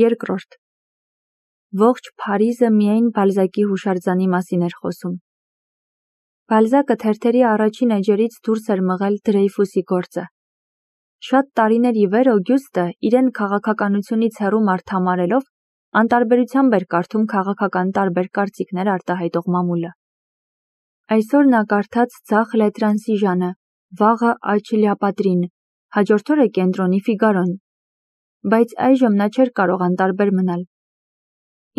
Երկրորդ. ողջ Փարիզը միայն Բալզակի հուշարձանի մասին էր խոսում։ Բալզակը թերթերի առաջին էջերից դուրս էր մղել Դրեյֆուսի գործը։ Շատ տարիներ ի վեր Օգյուստը իրեն քաղաքականությունից հեռու մարդ համարելով անտարբերությամբ էր կարդում քաղաքական տարբեր կարծիքներ արտահայտող մամուլը։ Այսօր նա կարդաց ձախ Լետրանսիժանը, վաղը Աչիլիապատրին, հաջորդ օրը կենտրոնի Ֆիգարոն, բայց այժմ նա չէր կարող անտարբեր մնալ։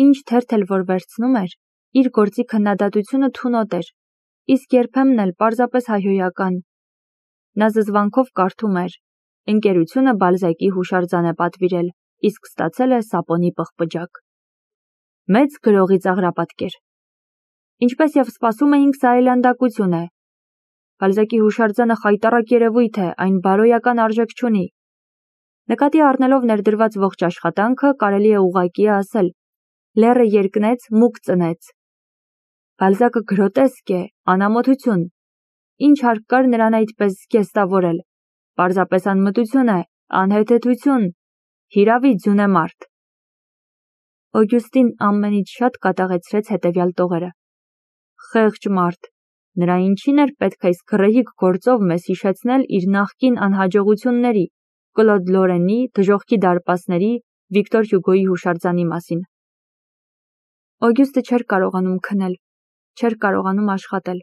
Ինչ թերթ էլ որ վերցնում էր, իր գործի քննադատությունը թունոտ էր, իսկ երբեմն էլ պարզապես հայհոյական։ Նա զզվանքով կարդում էր. ընկերությունը Բալզակի հուշարձան է պատվիրել, իսկ ստացել է սապոնի պղպջակ։ Մեծ գրողի ծաղրապատկեր։ Ինչպես և սպասում էինք, սա այլանդակություն է։ Բալզակի հուշարձանը խայտառակ երևույթ է, այն բարոյական արժեք չունի։ Նկատի առնելով ներդրված ողջ աշխատանքը, կարելի է ուղղակի ասել. լեռը երկնեց, մուկ ծնեց։ Բալզակը գրոտեսկ է, անամոթություն։ Ինչ հարկ կար նրան այդպես զգեստավորել։ Պարզապես անմտություն է, անհեթեթություն, հիրավի ձյունեմարդ։ Օգյուստին ամենից շատ կատաղեցրեց հետևյալ տողերը։ Խեղճ մարդ, նրա ինչին էր պետք այս գռեհիկ գործով մեզ հիշեցնել իր նախկին անհաջողությունների, Կլոդ Լորենի, դժոխքի դարպասների, Վիկտոր Հյուգոյի հուշարձանի մասին։ Օգյուստը չէր կարողանում քնել, չէր կարողանում աշխատել։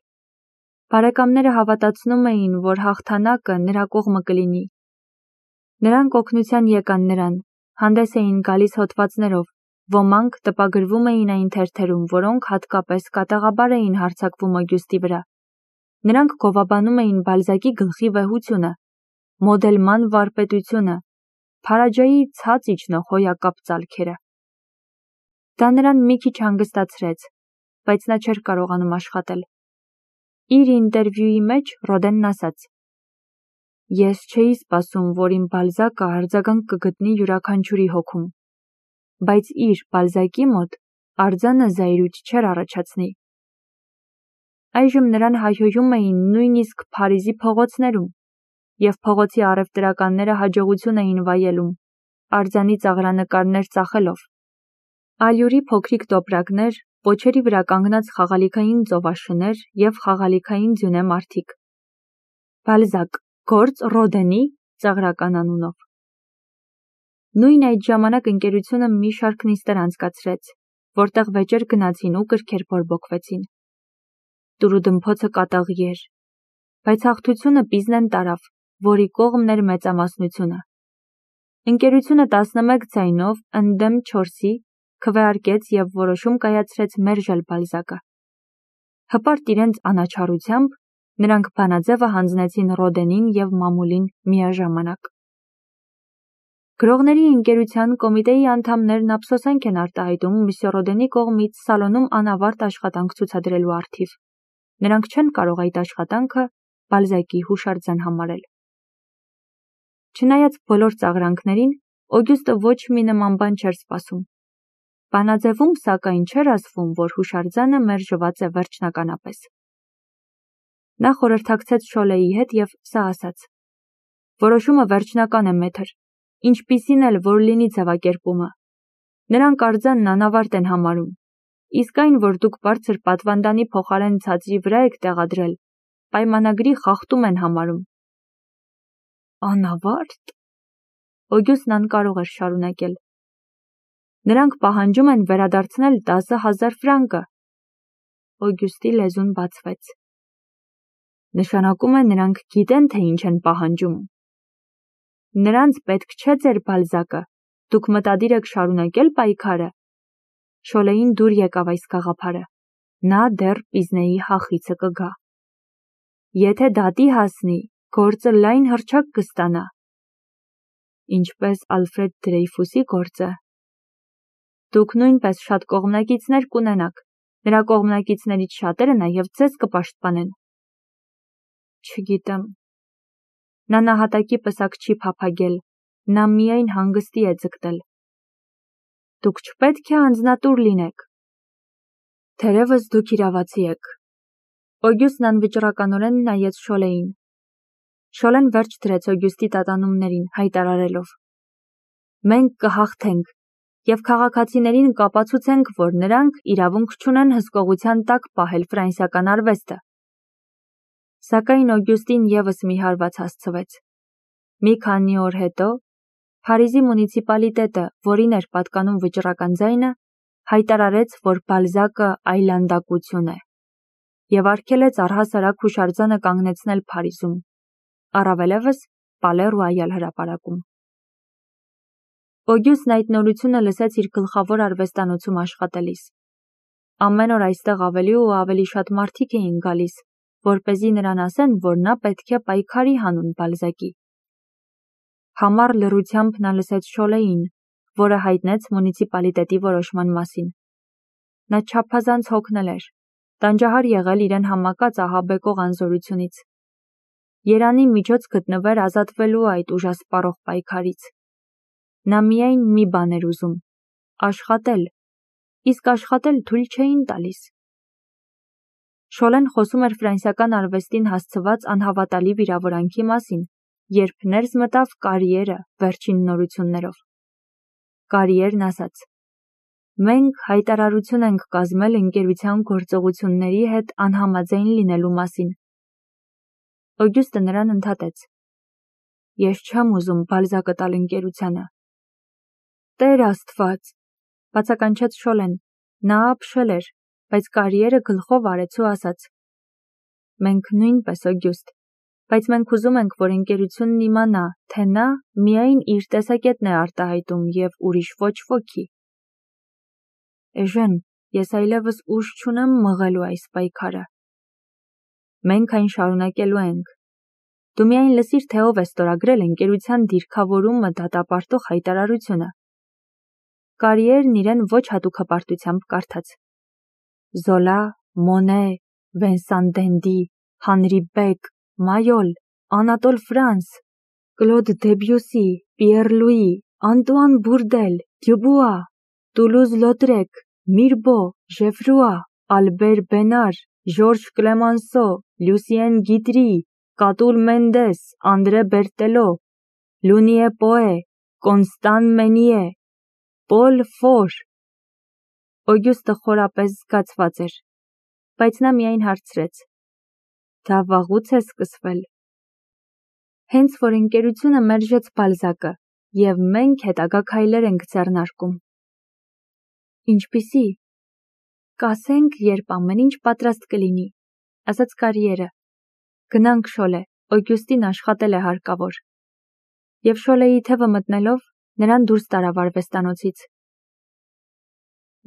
Բարեկամները հավատացնում էին, որ հաղթանակը նրա կողմը կլինի։ Նրանք օգնության եկան նրան, հանդես էին գալիս հոդվածներով, ոմանք տպագրվում էին այն թերթերում, որոնք հատկապես կատաղաբար էին հարձակվում Օգյուստի վրա։ Նրանք գովաբանում էին Բալզակի գլխի վեհությունը, մոդելման վարպետությունը, Փարաջայի ցած իջնող հոյակապ ծալքերը։ Դա նրան մի քիչ հանգստացրեց, բայց նա չէր կարողանում աշխատել։ Իր ինտերվյուի մեջ Ռոդենն ասաց. Ես չէի սպասում, որ իմ Բալզակը արձագանք կգտնի յուրաքանչյուրի հոգում, բայց իր Բալզակի մոտ արձանը զայրույթ չէր առաջացնի։ Այժմ նրան հայհոյում էին նույնիսկ Փարիզի փողոցներում, և փողոցի առևտրականները հաջողություն էին վայելում, արձանի ծաղրանկարներ ծախելով։ Ալյուրի փոքրիկ տոպրակներ, պոչերի վրա կանգնած խաղալիքային ծովաշներ և խաղալիքային ձյունե մարդիկ։ Բալզակ, գործ Ռոդենի ծաղրական անունով։ Նույն այդ ժամանակ ընկերությունը մի շարք նիստեր անցկացրեց, որտեղ վեճեր գնացին ու կրքեր բորբոքվեցին։ Տուրուդմփոցը կատաղի էր, բայց հաղթությունը Պիզնեն տարավ, որի կողմն էր մեծամասնությունը։ Ընկերությունը 11 ձայնով ընդդեմ 4-ի քվեարկեց և որոշում կայացրեց մերժել Բալզակը։ Հպարտ իրենց անաչառությամբ նրանք բանաձևը հանձնեցին Ռոդենին և մամուլին միաժամանակ։ Գրողների ընկերության կոմիտեի անդամներն ափսոսանք են արտահայտում Մսյո Ռոդենի կողմից սալոնում անավարտ աշխատանք ցուցադրելու առթիվ։ Նրանք չեն կարող այդ աշխատանքը Բալզակի հուշարձան համարել։ Չնայած բոլոր ծաղրանքներին, Օգյուստը ոչ մի նման բան չէր սպասում։ Բանաձևում, սակայն, չէր ասվում, որ հուշարձանը մերժված է վերջնականապես։ Նա խորհրդակցեց Շոլեի հետ և սա ասաց. որոշումը վերջնական է, մեթր, ինչպիսին էլ որ լինի ձևակերպումը։ Նրանք արձանն անավարտ են համարում, իսկ այն, որ դուք բարձր պատվանդանի փոխարեն ցածրի վրա եք տեղադրել, պայմանագրի խախտում են համարում։ Անավարտ։ Օգյուստն անկարող էր շարունակել։ Նրանք պահանջում են վերադարձնել 10,000 ֆրանկը։ Օգյուստի լեզուն բացվեց։ Նշանակում է նրանք գիտեն, թե ինչ են պահանջում։ Նրանց պետք չէ ձեր Բալզակը, դուք մտադիր եք շարունակել պայքարը։ Շոլեին դուր եկավ այս գաղափարը։ Նա դեռ Պիզնեի հախիցը կգա։ Եթե դատի հասնի, գործը լայն հռչակ կստանա։ Ինչպես Ալֆրեդ Դրեյֆուսի գործը։ Դուք նույնպես շատ կողմնակիցներ կունենաք, նրա կողմնակիցներից շատերը նաև ձեզ կպաշտպանեն։ Չգիտեմ։ Նա նահատակի պսակ չի փափագել, նա միայն հանգստի է ձգտել։ Դուք չպետք է անձնատուր լինեք։ Թերևս դուք իրավացի եք։ Օգյուստն անվճռականորեն նայեց Շոլեին։ Շոլեն վերջ դրեց Օգյուստի տատանումներին, հայտարարելով. Մենք կհաղթենք, և քաղաքացիներին կապացուցենք, որ նրանք իրավունք չունեն հսկողության տակ պահել ֆրանսիական արվեստը։ Սակայն Օգյուստին ևս մի հարված հասցվեց։ Մի քանի օր հետո Փարիզի մունիցիպալիտետը, որին էր պատկանում վճռական ձայնը, հայտարարեց, որ Բալզակը այլանդակություն է և արգելեց առհասարակ հուշարձանը կանգնեցնել Փարիզում, առավելևս Պալե Ռոյալ հրապարակում։ Օգյուստն այդ նորությունը լսեց իր գլխավոր արվեստանոցում աշխատելիս։ Ամեն օր այստեղ ավելի ու ավելի շատ մարդիկ էին գալիս, որպեսզի նրան ասեն, որ նա պետք է պայքարի հանուն Բալզակի։ Համառ լռությամբ նա լսեց Շոլեին, որը հայտնեց մունիցիպալիտետի որոշման մասին։ Նա չափազանց հոգնել էր, տանջահար եղել իրեն համակած ահաբեկող անզորությունից։ Երանի միջոց գտնվեր ազատվելու այդ ուժասպառող պայքարից։ Նա միայն մի բան էր ուզում՝ աշխատել, իսկ աշխատել թույլ չէին տալիս։ Շոլեն խոսում էր ֆրանսիական արվեստին հասցված անհավատալի վիրավորանքի մասին, երբ ներս մտավ Կարիերը վերջին նորություններով։ Կարիերն ասաց. «Մենք հայտարարություն ենք կազմել ընկերության գործողությունների հետ անհամաձայն լինելու մասին»։ Օգյուստը նրան ընդհատեց. «Ես չեմ ուզում Բալզակը տալ ընկերությանը»։ Տեր Աստված, բացականչեց Շոլեն, նա ապշել էր, բայց Կարիերը գլխով արեց ու ասաց. «Մենք նույնպես, Օգյուստ, բայց մենք ուզում ենք, որ ընկերությունն իմանա, թե նա միայն իր տեսակետն է արտահայտում և ուրիշ ոչ ոքի»։ Էժեն, ես այլևս ուժ չունեմ մղելու այս պայքարը։ Մենք այն շարունակելու ենք։ Դու միայն լսիր, թե ով է ստորագրել ընկերության դիրքավորումը դատապարտող հայտարարությունը։ Կարիերն իրեն ոչ հատուկ հպարտությամբ կարդաց. Զոլա, Մոնե, Վենսան Դենդի, Հանրի Բեք, Մայոլ, Անատոլ Ֆրանս, Կլոդ Դեբյուսի, Պիեր Լուի, Անտուան Բուրդել, Դյուբուա, Տուլուզ Լոտրեք, Միրբո, Ժեֆրուա, Ալբեր Բենար, Ժորժ Կլեմանսո, Լյուսիեն Գիտրի, Կատուլ Մենդես, Անդրե Բերտելո, Լունիե Պոե, Կոնստան Մենիե, Պոլ Ֆոր։ Օգյուստը խորապես զգացված էր, բայց նա միայն հարցրեց. Դա վաղուց է սկսվել։ Հենց որ ընկերությունը մերժեց Բալզակը, և մենք հետագա քայլեր ենք ձեռնարկում։ Ինչպիսի։ Կասենք, երբ ամեն ինչ պատրաստ կլինի, ասաց Կարիերը։ Գնանք, Շոլե, Օգյուստին աշխատել է հարկավոր։ Եվ Շոլեի թևը մտնելով, նրան դուրս տարավ արվեստանոցից։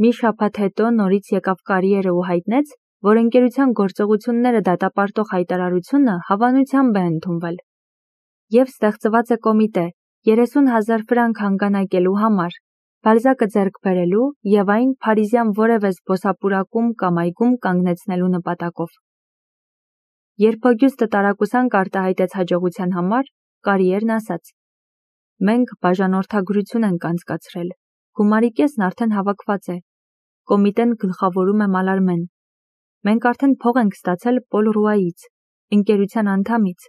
Մի շաբաթ հետո նորից եկավ Կարիերը ու հայտնեց, որ ընկերության գործողությունները դատապարտող հայտարարությունը հավանությամբ է ընդունվել։ Եվ ստեղծված է կոմիտե 30,000 ֆրանկ հանգանակելու համար, Բալզակը ձեռք բերելու և այն փարիզյան որևէ զբոսապուրակում կամ այգում կանգնեցնելու նպատակով։ Երբ Օգյուստը տարակուսանք արտահայտեց հաջողության համար, Կարիերն ասաց. Մենք բաժանորդագրություն ենք անցկացրել, գումարի կեսն արդեն հավաքված է, կոմիտեն գլխավորում է Մալարմեն։ Մենք արդեն փող ենք ստացել Պոլ Ռուայից, ընկերության անդամից,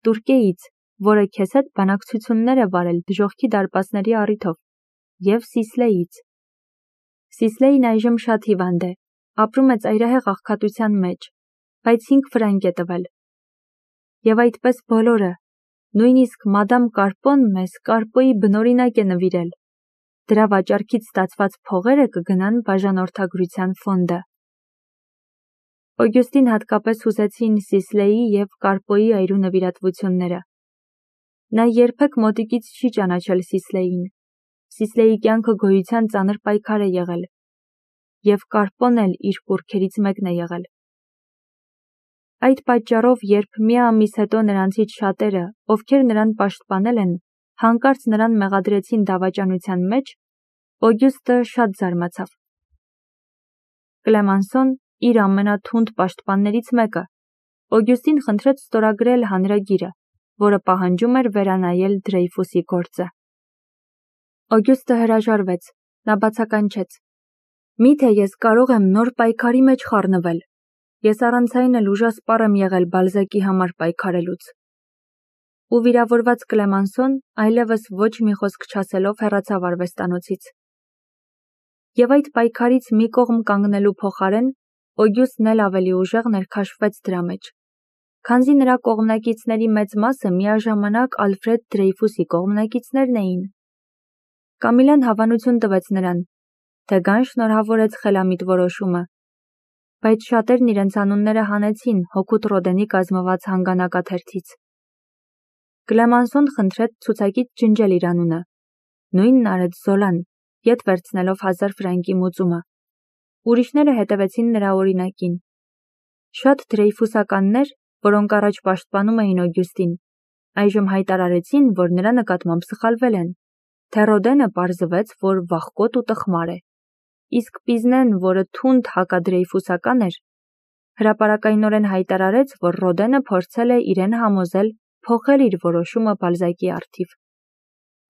Տուրկեից, որը քեզ հետ բանակցություններ է վարել դժոխքի դարպասների առիթով, և Սիսլեից։ Սիսլեին այժմ շատ հիվանդ է, ապրում է ծայրահեղ աղքատության մեջ, բայց 5 ֆրանկ է տվել։ Եվ այդպես բոլորը, նույնիսկ մադամ Կարպոն մեզ Կարպոյի բնօրինակ է նվիրել։ Դրա վաճառքից ստացված փողերը կգնան բաժանորդագրության ֆոնդը։ Օգյուստին հատկապես հուզեցին Սիսլեի և Կարպոյի այրու նվիրատվությունները։ Նա երբեք մոտիկից չի ճանաչել Սիսլեին։ Սիսլեի կյանքը գոյության ծանր պայքար է եղել։ Եվ Կարպոն էլ իր կուռքերից մեկն է եղել։ Այդ պատճառով, երբ մի ամիս հետո նրանցից շատերը, ովքեր նրան պաշտպանել են, հանկարծ նրան մեղադրեցին դավաճանության մեջ, Օգյուստը շատ զարմացավ։ Կլեմանսոն, իր ամենաթունդ պաշտպաններից մեկը, Օգյուստին խնդրեց ստորագրել հանրագիրը, որը պահանջում էր վերանայել Դրեյֆուսի գործը։ Օգյուստը հրաժարվեց, նա բացականչեց. Միթե ես կարող եմ նոր պայքարի մեջ խառնվել։ Ես առանց այն էլ ուժասպառ եմ եղել Բալզակի համար պայքարելուց։ Ու վիրավորված Կլեմանսոն այլևս ոչ մի խոսք չասելով հեռացավ արվեստանոցից։ Եվ այդ պայքարից մի կողմ կանգնելու փոխարեն Օգյուստն էլ ավելի ուժեղ ներքաշվեց դրա մեջ, քանզի նրա կողմնակիցների մեծ մասը միաժամանակ Ալֆրեդ Դրեյֆուսի կողմնակիցներն էին։ Կամիլան հավանություն տվեց նրան, թե Գան շնորհավորեց խելամիտ որոշումը, բայց շատերն իրենց անունները հանեցին հօգուտ Ռոդենի կազմված հանգանակաթերթից։ Կլեմանսոն խնդրեց ցուցակից ջնջել իր անունը, նույնն արեց Զոլան, ետ վերցնելով 1000 ֆրանկի մուծումը։ Ուրիշները հետևեցին նրա օրինակին։ Շատ դրեյֆուսականներ, որոնք առաջ պաշտպանում էին Օգյուստին, այժմ հայտարարեցին, որ նրա նկատմամբ սխալվել են, թե Ռոդենը պարզվեց, որ վախկոտ ու տխմար է, իսկ Պիզնեն, որը թունդ հակադրեյֆուսական էր, հրապարակայնորեն հայտարարեց, որ Ռոդենը փորձել է իրեն համոզել փոխել իր որոշումը Բալզակի առթիվ,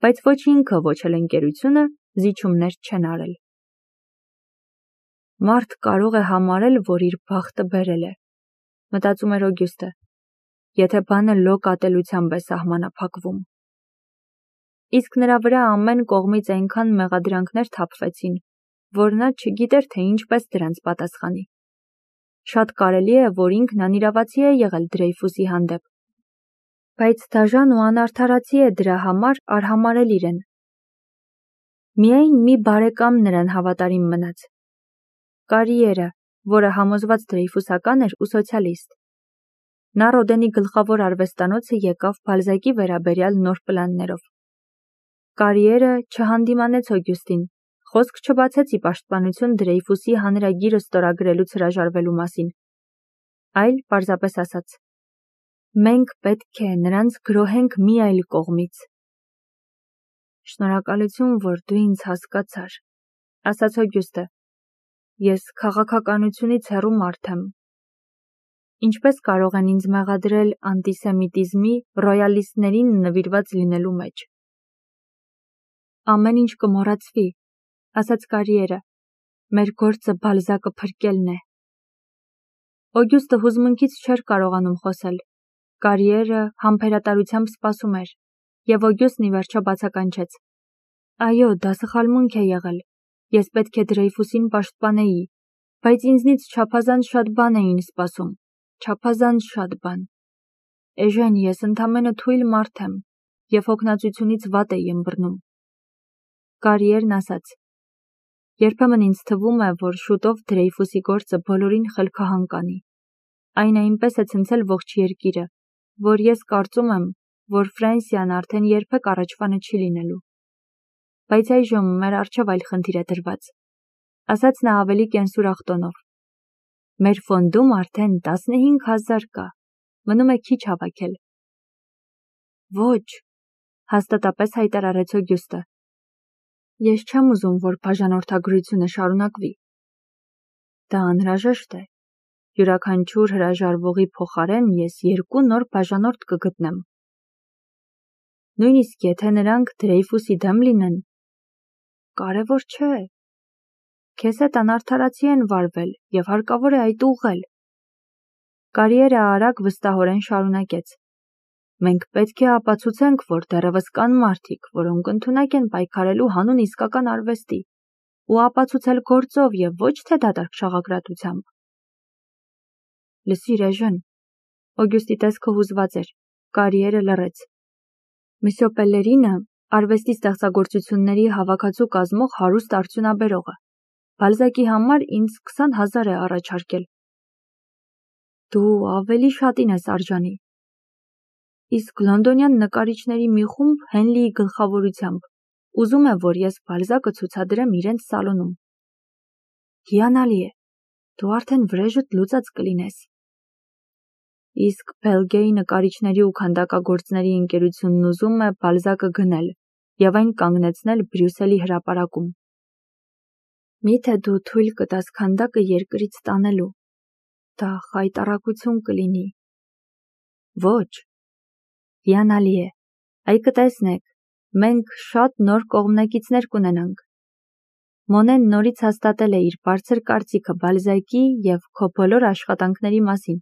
բայց ոչ ինքը, ոչ էլ ընկերությունը զիջումներ չեն արել։ Մարդ կարող է համարել, որ իր բախտը բերել է, մտածում էր Օգյուստը, եթե բանը լոկ ատելությամբ է սահմանափակվում։ Իսկ նրա վրա ամեն կողմից այնքան մեղադրանքներ թափվեցին, որ նա չգիտեր, թե ինչպես դրանց պատասխանի։ Շատ կարելի է, որ ինքն անիրավացի է եղել Դրեյֆուսի հանդեպ, բայց դաժան ու անարդարացի է դրա համար արհամարել իրեն։ Միայն մի բարեկամ նրան հավատարիմ մնաց։ Կարիերը, որը համոզված դրեյֆուսական էր ու սոցիալիստ։ Նա Ռոդենի գլխավոր արվեստանոցը եկավ Բալզակի վերաբերյալ նոր պլաններով։ Կարիերը չհանդիմանեց Օգյուստին, խոսք չբացեց ի պաշտպանություն Դրեյֆուսի հանրագիրը ստորագրելուց հրաժարվելու մասին, այլ պարզապես ասաց. «Մենք պետք է նրանց գրոհենք մի այլ կողմից»։ «Շնորհակալություն, որ դու ինձ հասկացար», ասաց Օգյուստը։ «Ես քաղաքականությունից հեռու մարդ եմ։ Ինչպես կարող են ինձ մեղադրել անտիսեմիտիզմի, ռոյալիստներին նվիրված լինելու մեջ»։ «Ամեն ինչ կմոռացվի», ասաց Կարիերը։ «Մեր գործը Բալզակը փրկելն է»։ Օգյուստը հուզմունքից չէր կարողանում խոսել։ Կարիերը համբերատարությամբ սպասում էր, եւ Օգյուստն ի վերջո բացականչեց. «Այո, դա սխալմունք է եղել։ Ես պետք է Դրեյֆուսին պաշտպանեի, բայց ինձնից չափազանց շատ բան էին սպասում, չափազանց շատ բան։ Էժեն, ես ընդամենը թույլ մարդ եմ եւ հոգնածությունից վատ էի ըմբռնում»։ Կարիերն ասաց. «Երբեմն ինձ թվում է, որ շուտով Դրեյֆուսի գործը բոլորին խելքահան կանի։ Այն այնպես է ցնցել ողջ երկիրը, որ ես կարծում եմ, որ Ֆրանսիան արդեն երբեք առաջվանը չի լինելու։ Բայց այժմ մեր առջև այլ խնդիր է դրված», ասաց նա ավելի կենսուրախ տոնով։ «Մեր ֆոնդում արդեն 15000 կա, մնում է քիչ հավաքել»։ «Ոչ», հաստատապես հայտարարեց Օգյուստը։ «Ես չեմ ուզում, որ բաժանորդագրությունը շարունակվի։ Դա անհրաժեշտ է։ Յուրաքանչյուր հրաժարվողի փոխարեն ես 2 նոր բաժանորդ կգտնեմ։ Նույնիսկ եթե նրանք Դրեյֆուսի դեմ լինեն, կարևոր չէ։ Քեզ հետ անարդարացի են վարվել եւ հարկավոր է այդ ուղղել»։ Կարիերը արագ վստահորեն շարունակեց. «Մենք պետք է ապացուցենք, որ դեռևս կան մարդիկ, որոնք ընդունակ են պայքարելու հանուն իսկական արվեստի, ու ապացուցել գործով եւ ոչ թե դատարկ շաղակրատությամբ»։ «Լսիր, էժեն», Օգյուստի տեսքը հուզված էր, Կարիերը լռեց։ «Մսյո Պելլերինը արվեստի ստեղծագործությունների հավաքածու կազմող հարուստ արդյունաբերողը Բալզակի համար ինձ 20000 է առաջարկել»։ «Դու ավելի շատին ես արժանի»։ «Իսկ լոնդոնյան նկարիչների մի խումբ Հենլիի գլխավորությամբ ուզում է, որ ես Բալզակը ցուցադրեմ իրենց սալոնում»։ «Հիանալի է, դու արդեն վրեժդ լուծած կլինես»։ «Իսկ Բելգեի նկարիչների ու քանդակագործների ընկերությունն ուզում է Բալզակը գնել եւ այն կանգնեցնել Բրյուսելի հրապարակում»։ «Միթե դու թույլ կտաս քանդակը երկրից տանելու, դա խայտառակություն կլինի»։ «Ոչ»։ «Հիանալի է, այ կտեսնեք, մենք շատ նոր կողմնակիցներ կունենանք»։ Մոնեն նորից հաստատել է իր բարձր կարծիքը Բալզակի եւ քո բոլոր աշխատանքների մասին։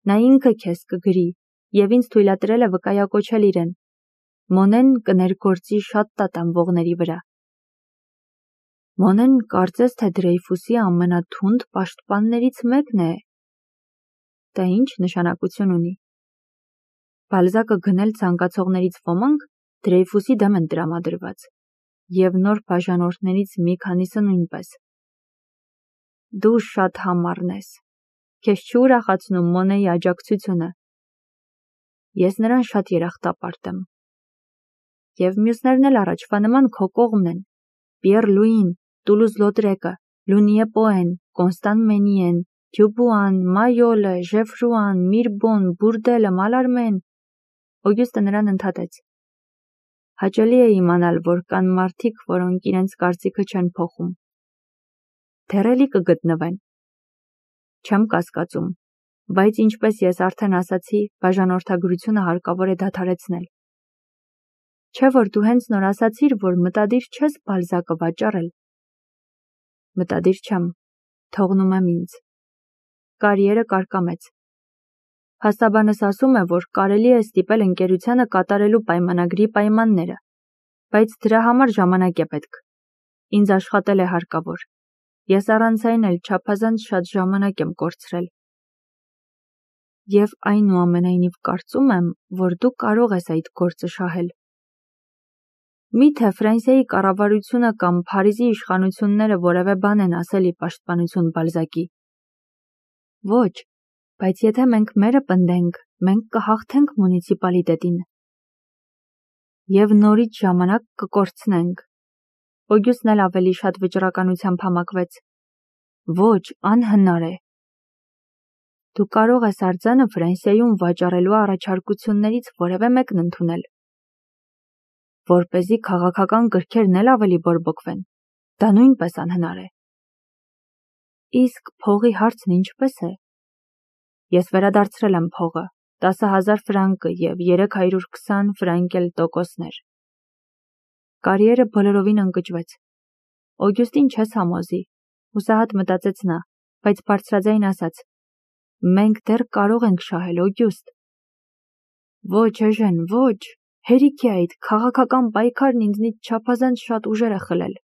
Նա ինքը քեզ կգրի եւ ինձ թույլատրել է վկայակոչել իրեն։ Մոնեն կներգործի շատ տատանվողների վրա։ Մոնեն կարծես թե Դրեյֆուսի ամենաթունդ պաշտպաններից մեկն է։ Դա ինչ նշանակություն ունի։ Բալզակը գնել ցանկացողներից ոմանք Դրեյֆուսի դեմ են տրամադրված, և նոր բաժանորդներից մի քանիսը նույնպես։ Դու շատ համառն ես։ Քեզ չի ուրախացնում Մոնեի աջակցությունը։ Ես նրան շատ երախտապարտ եմ։ Եվ մյուսներն էլ առաջվա նման քո կողմն են։ Պիեր Լուին, Տուլուզ Լոտրեկը, Լունիե Պոեն, Կոնստան Մենիեն, Դյուբուան, Մայոլը, Ժեֆրուան, Միրբոն, Բուրդելը, Մալարմեն։ Օգյուստը նրան ընդհատեց։ Հաճելի է իմանալ, որ կան մարդիկ, որոնք իրենց կարծիքը չեն փոխում։ Դեռ կգտնվեն։ Չեմ կասկածում, բայց ինչպես ես արդեն ասացի, բաժանորդագրությունը հարկավոր է դադարեցնել։ Չէ՞ որ դու հենց նոր ասացիր, որ մտադիր չես Բալզակը վաճառել։ Մտադիր չեմ, թողնում եմ ինձ։ Կարիերը կարկամեց։ Փաստաբանս ասում է, որ կարելի է ստիպել ընկերությանը կատարելու պայմանագրի պայմանները, բայց դրա համար ժամանակ է պետք։ Ինձ աշխատել է հարկավոր։ Ես առանց այն էլ չափազանց շատ ժամանակ եմ կորցրել։ Եվ այնուամենայնիվ կարծում եմ, որ դու կարող ես այդ գործը շահել։ Միթե Ֆրանսիայի կառավարությունը կամ Փարիզի իշխանությունները որևէ բան են ասել ի պաշտպանություն Բալզակի։ Ոչ, բայց եթե մենք մերը պնդենք, մենք կհաղթենք մունիցիպալիտետին։ Եվ նորից ժամանակ կկորցնենք։ Օգյուստն էլ ավելի շատ վճռականությամբ համակվեց։ Ոչ, անհնար է։ Դու կարող ես արձանը Ֆրանսիայում վաճառելու առաջարկություններից որևէ մեկն ընդունել։ Որպեսզի քաղաքական գրքերն էլ ավելի բորբոքվեն։ Դա նույնպես անհնար է։ Իսկ փողի հարցն ինչպես է։ Ես վերադարձրել եմ փողը, 10,000 ֆրանկը և 320 ֆրանկ էլ տոկոսներ։ Կարիերը բոլորովին ընկճվեց։ Օգյուստին չես համոզի, հուսահատ մտածեց նա, բայց բարձրաձայն ասաց. Մենք դեռ կարող ենք շահել, Օգյուստ։ Ոչ, Էժեն, ոչ, հերիք է այդ քաղաքական պայքարն ինձնից չափազանց շատ ուժեր է խլել։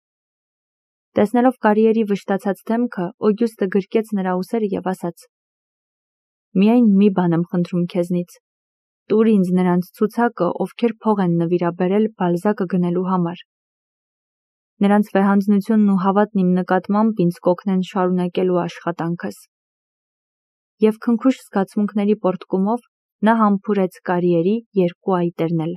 Տեսնելով Կարիերի վշտացած դեմքը, Օգյուստը գրկեց նրա ուսերը և ասաց. Միայն մի բան եմ խնդրում քեզնից։ Տուր ինձ նրանց ցուցակը, ովքեր փող են նվիրաբերել Բալզակը գնելու համար։ Նրանց վեհանձնությունն ու հավատն իմ նկատմամբ ինձ կօգնեն շարունակելու աշխատանքս։ Եվ քնքուշ զգացմունքների պոռթկումով նա համբուրեց Կարիերի երկու այտերն էլ։